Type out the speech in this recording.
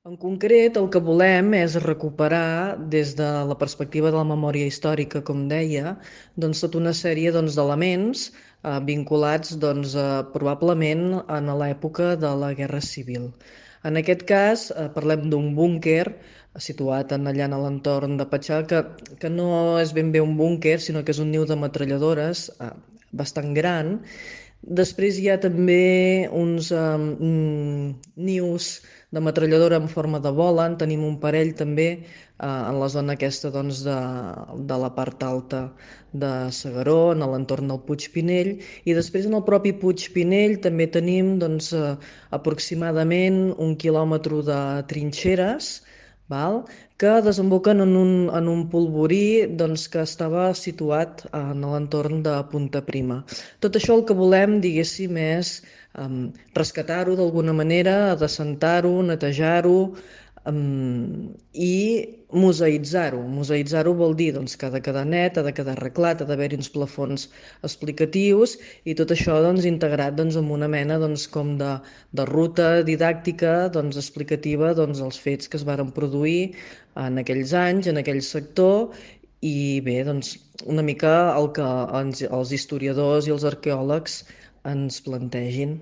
En concret, el que volem és recuperar, des de la perspectiva de la memòria històrica, com deia, doncs, tota una sèrie doncs, d'elements vinculats probablement a l'època de la Guerra Civil. En aquest cas, parlem d'un búnquer situat allà en l'entorn de Patxà, que no és ben bé un búnquer, sinó que és un niu de metralladores bastant gran. Després hi ha també uns nius de metralladora en forma de bola, en tenim un parell també en la zona aquesta de la part alta de S'Agaró, en l'entorn del Puig Pinell, i després en el propi Puig Pinell també tenim aproximadament 1 quilòmetre de trinxeres, val? Que desemboquen en un polvorí que estava situat en l'entorn de Punta Prima. Tot això el que volem, diguéssim, és rescatar-ho d'alguna manera, adescentar-ho, netejar-ho i museïtzar-ho. Museïtzar-ho vol dir que ha de quedar net, ha de quedar arreglat, ha d'haver-hi uns plafons explicatius i tot això integrat amb una mena com de ruta didàctica explicativa dels fets que es varen produir en aquells anys, en aquell sector i bé, una mica el que els historiadors i els arqueòlegs ens plantegin.